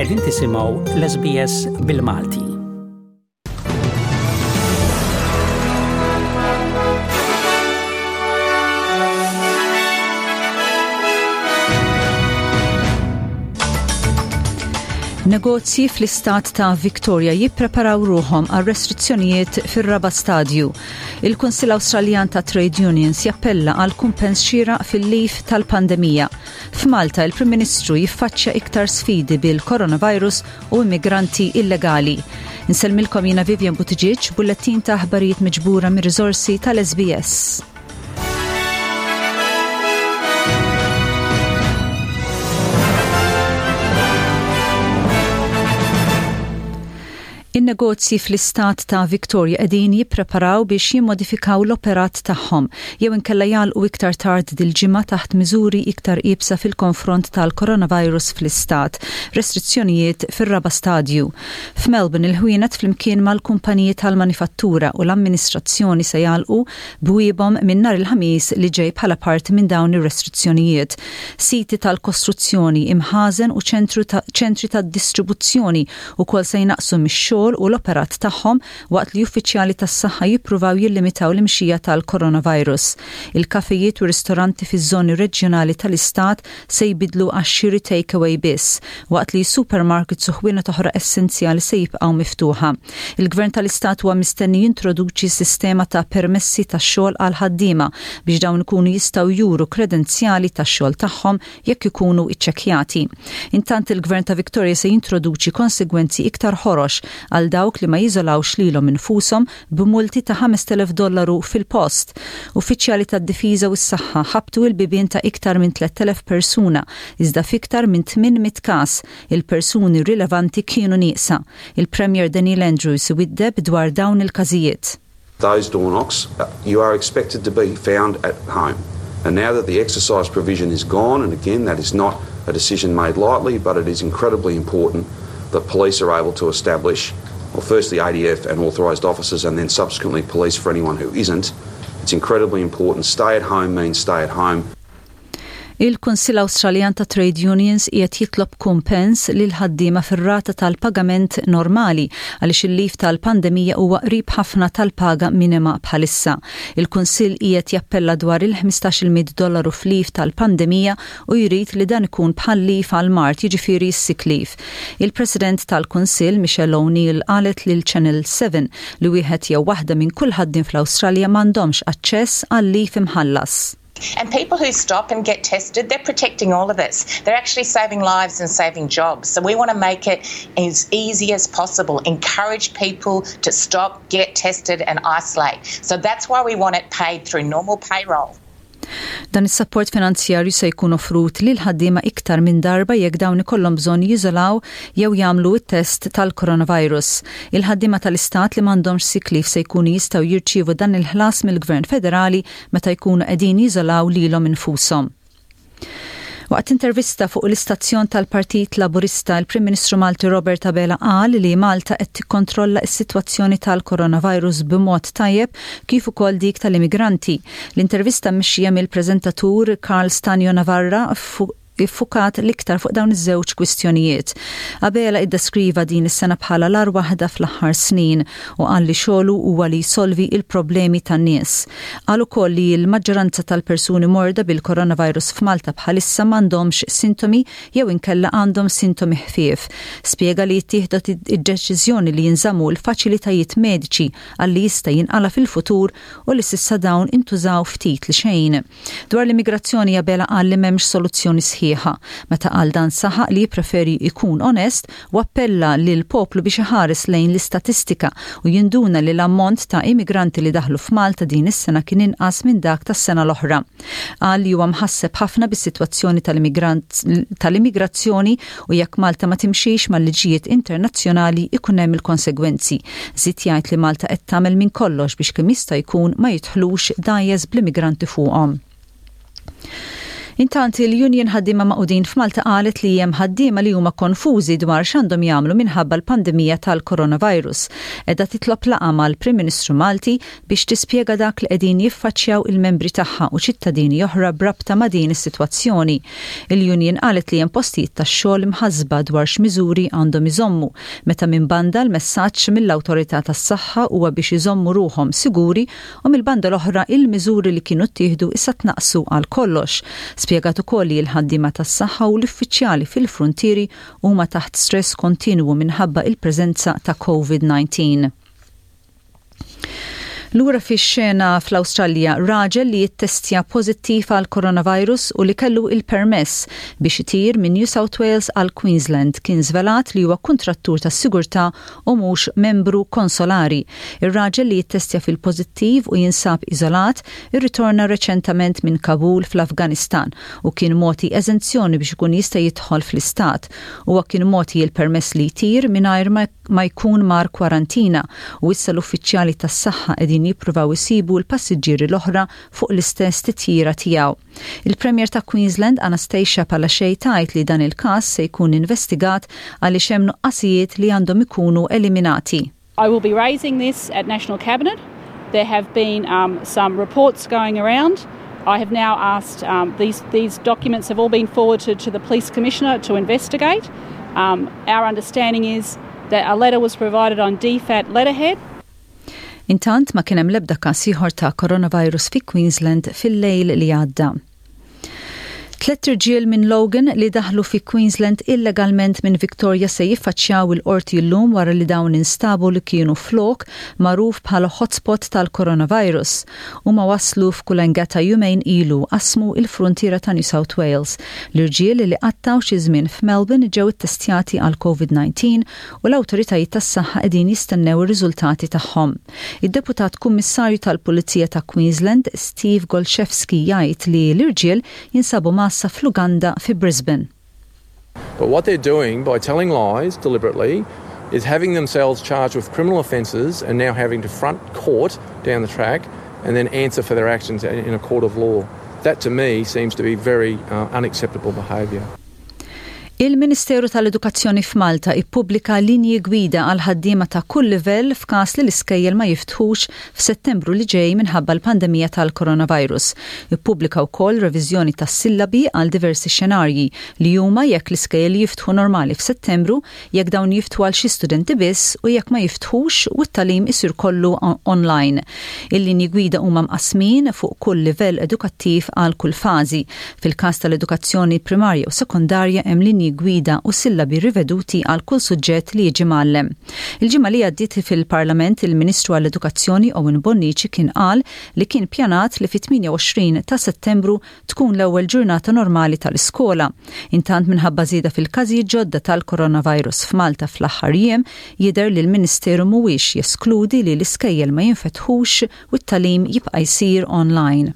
Qegħdin tisimgħu l-SBS bil-Malti. Negozji fl-istat ta' Victoria jippreparaw ruħhom għal restrizzjonijiet fir-raba' stadju. Il-Kunsill Awstraljan ta' Trade Unions jappella għal kumpens xieraq fil-lif tal-pandemija. F'Malta, il-Prim Ministru jiffaċċja iktar sfidi bil-coronavirus u immigranti illegali. Insellmilkom jiena Vivian Buttigieg, bullettin ta' aħbarijiet miġbura mir-riżorsi tal-SBS. In-negozji fl-istat ta' Victoria qegħdin jippreparaw biex jimmodifikaw l-operat tagħhom jew inkella jagħlqu iktar tard dil-ġimgħa taħt miżuri iktar iebsa fil-konfront tal-coronavirus fl-istat, restrizzjonijiet fir-raba' stadju. F'Melbourne il-ħwienet flimkien mal-kumpaniji tal-manifattura u l-amministrazzjoni se jagħlqu bwiebhom minn nhar il-Ħamis li ġej bħala parti minn dawn ir-restrizzjonijiet. Siti tal-kostruzzjoni, imħażen u ċentru ta' ċentri tad-distribuzzjoni ukoll se jnaqqsu mix-xogħol u l-operat tagħhom waqt li uffiċjali tas-saħħa jippruvaw jillimitaw l-imxija tal-coronavirus. Il-kafejiet u ristoranti fiż-żoni reġjonali tal-istat se jbiddlu għax-xiri take-away biss, waqt li supermarkets u ħwienet oħra essenzjali se jibqgħu miftuħa. Il-Gvern tal-Istat huwa mistenni jintroduċi sistema ta' permessi tax-xogħol għall-ħaddiema biex dawn ikunu jistgħu juru kredenzjali tax-xogħol tagħhom jekk ikunu iċċekkjati. Intant il-Gvern ta' Victoria se jintroduċi konsegwenzi iktar ħorox għal dawk li ma jiżolawx lilhom infushom b'multi ta' 5,000 dollaru fil-post. Uffiċjali tad-difiża u s-saħħa ħabbtu il-bibien ta' iktar minn 3,000 persuna iżda f'iktar minn 800 każ il-persuni rilevanti kienu nieqsa. Il-Premier Daniel Andrews iwiddeb dwar dawn il-każijiet. Those door knocks, you are expected to be found at home. And now that the exercise provision is gone, and again, that is not a decision made lightly, but it is incredibly important that police are able to establish, well, firstly ADF and authorised officers, and then subsequently police for anyone who isn't. It's incredibly important. Stay at home means stay at home. Il-Kunsill Awstraljan ta' Trade Unions qiegħed jitlob kumpens lill-ħaddiema fir-rata tal-pagament normali għaliex il-leave tal-pandemija huwa qrib ħafna tal-paga minima bħalissa. Il-Kunsill qiegħed jappella dwar il-ħmistax-il mitt dollaru f'leave tal-pandemija u jrid li dan ikun bħal leave għall-mard jiġifieri s-sick leave. Il-President tal-Kunsill, Michelle O'Neill qalet lil Channel 7 li wieħed jew waħda minn kull ħaddiem fl-Awstralja m'għandhomx aċċess għal leave imħallas. And people who stop and get tested, they're protecting all of us. They're actually saving lives and saving jobs. So we want to make it as easy as possible, encourage people to stop, get tested and isolate. So that's why we want it paid through normal payroll. Dan is-sapport finanzjarju se jkun offrut lil ħaddiema iktar minn darba jekk dawn ikollhom bżonn jiżolaw jew jagħmlu t-test tal-coronavirus. Il-ħaddiema tal-istat li m'għandhomx sick leave se jkunu jistgħu jirċievu dan il-ħlas mill-Gvern Federali meta jkunu qegħdin jiżolaw lilhom infushom. Waqt intervista fuq l-istazzjon tal-Partit Laburista, il-Prim Ministru Malti Robert Abela qal li Malta qed tikkontrolla s-sitwazzjoni tal-coronavirus b'mod tajjeb kif ukoll dik tal-immigranti. L-intervista mmexxija mill-preżentatur Karl Stanio Navarra iffukat l-iktar fuq dawn iż-żewġ kwistjonijiet. Abela iddeskriva din is-sena bħala l-agħar waħda fl-aħħar snin u qal li xogħlu huwa li jsolvi il-problemi tan-nies. Qal ukoll li l-maġġoranza tal-persuni morda bil-coronavirus f'Malta bħalissa m'għandhomx sintomi jew inkella għandhom sintomi ħfief. Spjega li ttieħdet id-deċiżjoni li jinżammu l-faċilitajiet mediċi għal li jista' jinqala' fil-futur u li s'issa dawn intużaw ftit li xejn. Dwar l-immigrazzjoni Abela qal li m'hemmx soluzzjoni sħiħa. Meta qal dan saħaq li jippreferi jkun onest u appella lill-poplu biex iħares lejn l-istatistika u jinduna li l-ammont ta' immigranti li daħlu f'Malta din is-sena kien inqas minn dak tas-sena l-oħra. Qal li huwa mħasseb ħafna bis-sitwazzjoni tal-immigrazzjoni u jekk Malta ma timxix mal-liġijiet internazzjonali ikun hemm il-konsegwenzi. Żied jgħid li Malta qed tagħmel minn kollox biex kemm jista' jkun ma jidħlux dgħajjes bl-immigranti fuqhom. Intant il-Union Ħaddiema Magħqudin f'Malta qalet li hemm ħaddiema li huma konfużi dwar x'għandhom jagħmlu minħabba l-pandemija tal-coronavirus. Qiegħda titlob laqgħa mal-Prim Ministru Malti biex tispjega dak li qegħdin jiffaċċjaw il-membri tagħha u ċittadini oħra b'rabta ma' din is-sitwazzjoni. Il-union qalet li hemm postijiet tax-xogħol imħassba dwar x'miżuri għandhom iżommu meta minn banda l-messaġġ mill-Awtorità tas-Saħħa huwa biex iżommu ruħhom siguri u mill-banda l-oħra il-miżuri li kienu ttieħdu issa tnaqqsu għal kollox. Spjegat ukoll li l-ħaddiema tas-saħħa u l-uffiċjali fil-fruntieri huma taħt stress kontinwu minħabba il-preżenza ta' Covid-19. Lura fix-xena fl-Awstralja, raġel li jittestja pożittiv għal coronavirus u li kellu il-permess biex itir minn New South Wales għal Queensland kien żvelat li huwa kuntrattur tas-sigurtà u mhux membru konsolari. Ir-raġel li jittestja fil-pożittiv u jinsab iżolat irritorna reċentament minn Kabul fl-Afganistan u kien mogħti eżenzjoni biex ikun jista' jidħol fl-istat. Huwa kien mogħti l-permess li jtir mingħajr ma jkun mar kwarantina u issa l-uffiċjali tas-saħħa qegħdin jippruvaw isibu l-passiġġieri l-oħra fuq l-istess titjira tiegħu. Il-Premier ta' Queensland Anastasia Palaszczuk tgħid li dan il-każ se jkun investigat għaliex hemm nuqqasijiet li għandhom ikunu eliminati. I will be raising this at National Cabinet. There have been um, some reports going around. I have now asked, um, these, these documents have all been forwarded to the Police Commissioner to investigate. Um, our understanding is that a letter was provided on DFAT letterhead. Intant ma kien hemm l-ebda każ ieħor ta' coronavirus fi Queensland fil-lejl li għadda. Tlett irġiel minn Logan li daħlu fi Queensland illegalment minn Victoria se jiffaċċjaw il-qorti llum wara li dawn instabu li kienu f'lok magħruf bħala hotspot tal-coronavirus. Huma waslu f'Coolangatta jumejn ilu qasmu il-frontiera ta' New South Wales. L-irġiel li qattaw xi żmien f'Melbourne ġew ittestjati għal COVID-19 u l-awtoritajiet tas-saħħa qegħdin jistennew ir-riżultati tagħhom. Id-Deputat Kummissarju tal-Pulizija ta' Queensland, Steve Gollschewski jgħid li l-irġiel jinsabu mgħassa fl-Uganda fi Brisbane. But what they're doing by telling lies deliberately is having themselves charged with criminal offences and now having to front court down the track and then answer for their actions in a court of law. That to me seems to be very uh, unacceptable behaviour. Il-Ministeru tal-Edukazzjoni f'Malta ippubblika linji gwida għal ħaddiema ta' kull livell f'każ li l-iskejjel ma jiftħux f'Settembru li ġej minħabba l-pandemija tal-coronavirus. Ippubblika wkoll reviżjoni tas-sillabi għal diversi xenarji li huma jekk l-iskejjel jiftħu normali f'Settembru, jekk dawn jiftħu għal xi studenti biss u jekk ma jiftħux u t-tagħlim isir kollu online. Il-linji gwida huma mqassmin fuq kull livell edukattiv għal kull fażi. Fil-każ tal-edukazzjoni primarja u sekondarja hemm linji gwida u sillabi riveduti għal kull suġġett li jiġi mgħallem. Il-ġimgħa li għaddiet fil-Parlament il-Ministru għall-Edukazzjoni Owen Bonnici kien qal li kien pjanat li fit-28 ta' Settembru tkun l-ewwel ġurnata normali tal-iskola. Intant minħabba żieda fil-każijiet ġodda tal-coronavirus f'Malta fl-aħħar jiem, jidher li l-Ministeru mhuwiex jeskludi li l-iskejjel ma jinfetħux u t-tagħlim jibqa' jsir online.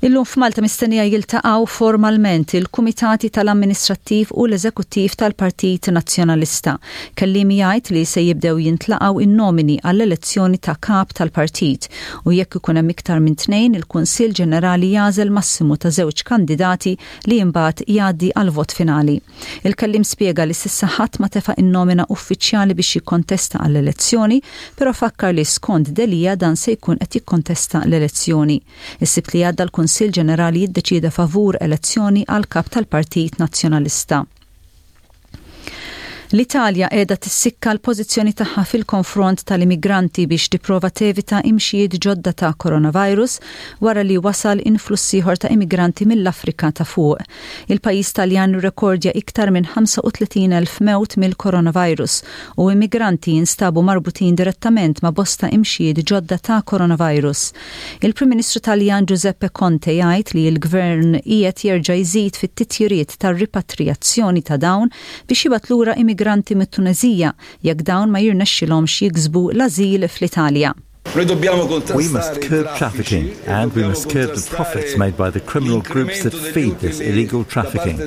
Illum f'Malta mistennija jiltaqgħu formalment il-Kumitati tal-Amministrattiv u l-Eżekuttiv tal-Partit Nazzjonalista. Kelliem jgħid li se jibdew jintlaqgħu in-nomini għall-elezzjoni ta' kap tal-partit u jekk ikun hemm iktar minn tnejn il-Kunsill Ġenerali jagħżel massimu ta' żewġ kandidati li imbagħad jgħaddi għal vot finali. Il-kelliem spjega li s'issa ħadd ma tefa' in-nomina uffiċjali biex jikkontesta għall-elezzjoni, però fakkar li skont Delia dan se jkun qed jikkontesta l-elezzjoni. Is-Sibt li għadda l-Kunsill Ġenerali jiddeċieda favur elezzjoni għal kap tal-Partit Nazzjonalista. L-Italja qiegħda tissikka l-pożizzjoni tagħha fil-konfront tal-immigranti biex tipprova tevita imxijiet ġodda ta' coronavirus wara li wasal influss ieħor ta' immigranti mill-Afrika ta' fuq. Il-pajjiż Taljan irrekordja iktar minn 35,000 mewt mill-coronavirus u immigranti jinstabu marbutin direttament ma' bosta imxijiet ġodda ta' coronavirus. Il-Prim Ministru Taljan Giuseppe Conte jgħid li l-Gvern qiegħed jerġa' jżid fit-titjiriet tar-ripatrijazzjoni ta' dawn biex jibgħat lura immigranti mit-Tuneżija jekk dawn ma jirnexxilhomx jiksbu l-ażil fl-Italja. We must curb trafficking and we must curb the profits made by the criminal groups that feed this illegal trafficking.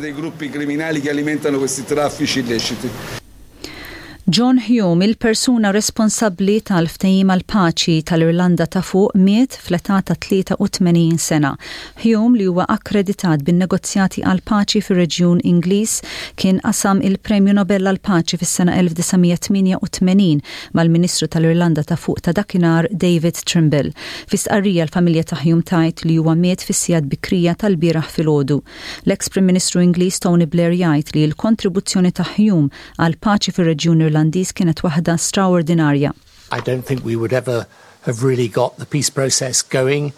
John Hume, il-persuna responsabbli tal-ftehim għall-paċi tal-Irlanda ta' Fuq miet fl-età ta' 83 sena. Hume, li huwa akkreditat bin-negozjati għall-paċi fir-reġjun Ingliż, kien qasam il-Premju Nobel għall-Paċi fis-sena 1988 mal-Ministru tal-Irlanda ta' Fuq ta' dakinhar David Trimble. Fi stqarrija l-familja ta' Hume tgħid li huwa miet fis-sigħat bikrija tal-bieraħ filgħodu. L-eks Prim Ministru Ingliż Tony Blair jgħid li l-kontribuzzjoni ta' Hume għall-paċi fir-reġjun Irlandiż kienet waħda straordinarja. I don't think we would ever have really got the peace process going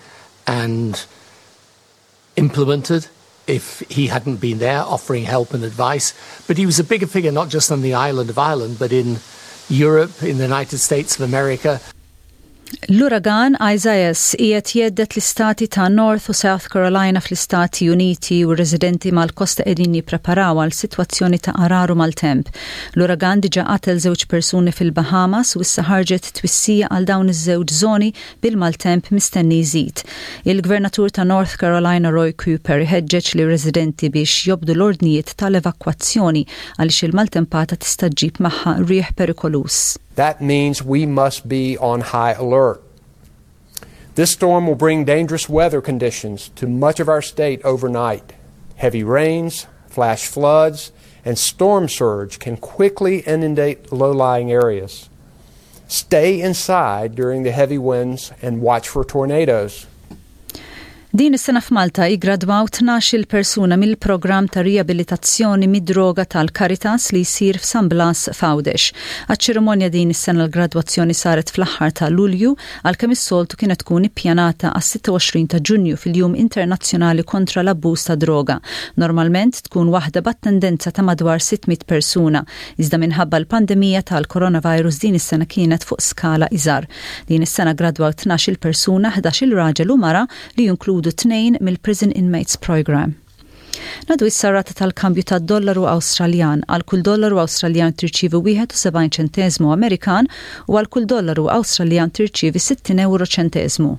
and implemented if he hadn't been there offering help and advice. But he was a bigger figure not just on the island of Ireland, but in Europe, in the United States of America. L-uragan Isaias qiegħed jhedded l-istati ta' North u South Carolina fl-Istati Uniti u r-residenti mal-kosta qegħdin jippreparaw għal sitwazzjoni ta' għarar u maltemp. L-uragan diġà qatel żewġ persuni fil-Bahamas u issa ħarġet twissija għal dawn iż-żewġ żoni bil-maltemp mistenni jżid. Il-Gvernatur ta' North Carolina Roy Cooper iħeġġeġ lir-residenti biex jobdu l-ordnijiet tal-evakwazzjoni għaliex il-maltempata tista' ġġib magħha riħ perikoluż. That means we must be on high alert. This storm will bring dangerous weather conditions to much of our state overnight. Heavy rains, flash floods, and storm surge can quickly inundate low lying areas. Stay inside during the heavy winds and watch for tornadoes. Din is-sena f'Malta iggradwaw 12-il persuna mill-programm ta' riabilitazzjoni mid-droga tal-Caritas li jsir f'San Blas f'Għawdex. Għaċ-ċerimonja din is-sena l-gradwazzjoni saret fl-aħħar ta' Lulju għalkemm is-soltu kienet tkun ippjanata għas-26 ta' Ġunju fil-Jum Internazzjonali kontra l-Abbuż ta' Droga. Normalment tkun waħda b'attendenza ta' madwar 600 persuna, iżda minħabba l-pandemija tal-coronavirus din is-sena kienet fuq skala iżgħar. Din is-sena ggradwaw 12-il persuna, 11-il raġel u mara li jinkludu tnejn mill-Prison Inmates Programme. Ngħaddu issa r-rata tal-kambju tad-dollaru Awstraljan. Għal kull dollaru Awstraljan tirċievi 71 ċenteżmu Amerikan u għal kull dollaru Awstraljan tirċievi 60 ewro ċenteżmu.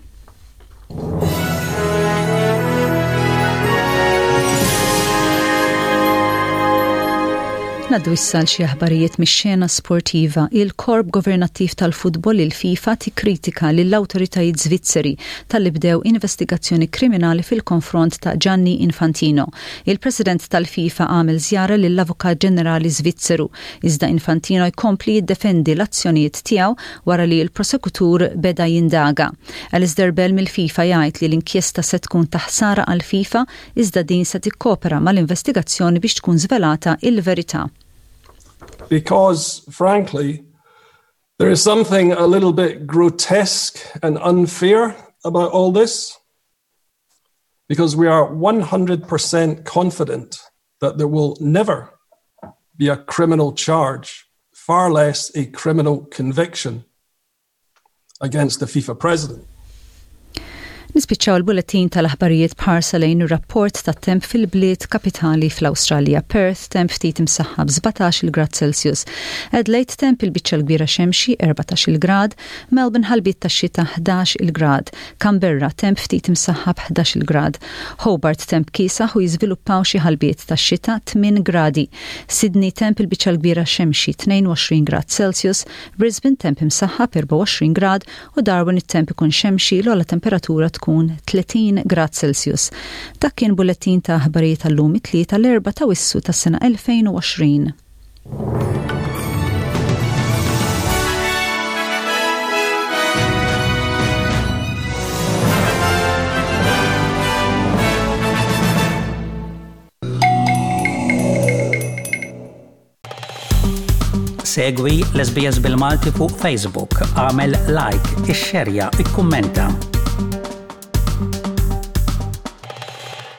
Ngħaddu issa għal xi aħbarijiet mix-xena sportiva. Il-korp governattiv tal-futbol il-FIFA tikkritika lill-awtoritajiet Svizzeri talli bdew investigazzjoni kriminali fil-konfront ta' Gianni Infantino. Il-President tal-FIFA għamel żjara lill-Avukat Ġenerali Svizzeru, iżda Infantino jkompli jiddefendi l-azzjonijiet tiegħu wara li l-prosekutur beda jindaga. Alistair Bell mill-FIFA jgħid li l-inkjesta se tkun ta' ħsara għall-FIFA iżda din se tikkopera mal-investigazzjoni biex tkun żvelata il-verità. Because, frankly, there is something a little bit grotesque and unfair about all this. Because we are 100% confident that there will never be a criminal charge, far less a criminal conviction against the FIFA president. Nispiċċaw il-bulettin tal-aħbarijiet b'ħarsa lejn ir-rapport tat-temp fil-bliet kapitali fl-Awstralja. Perth temp ftit imsaħħab 17 grad Celsius. Adelaide temp il-biċċa l-kbira xemxi 14 grad, Melbourne ħalbiet tax-xita 11 grad, Canberra temp ftit imsaħħab 11 grad, Hobart temp kiesaħ u jiżviluppaw xi ħalbiet tax-xita 8 gradi, Sydney temp il-biċċa l-kbira xemxi 22 grad Celsius, Brisbane temp imsaħħab 24 grad u Darwin it-temp ikun xemxi l-ogħla temperatura tkun 30 grad Celsius. Dak kien bullettin ta' aħbarijiet tal-lum it-Tlieta l-4 ta' Wissu tas-sena 2020. Segwi l-SBS bil-Malti fuq Facebook, għamel like, ixxerja, ikkummenta.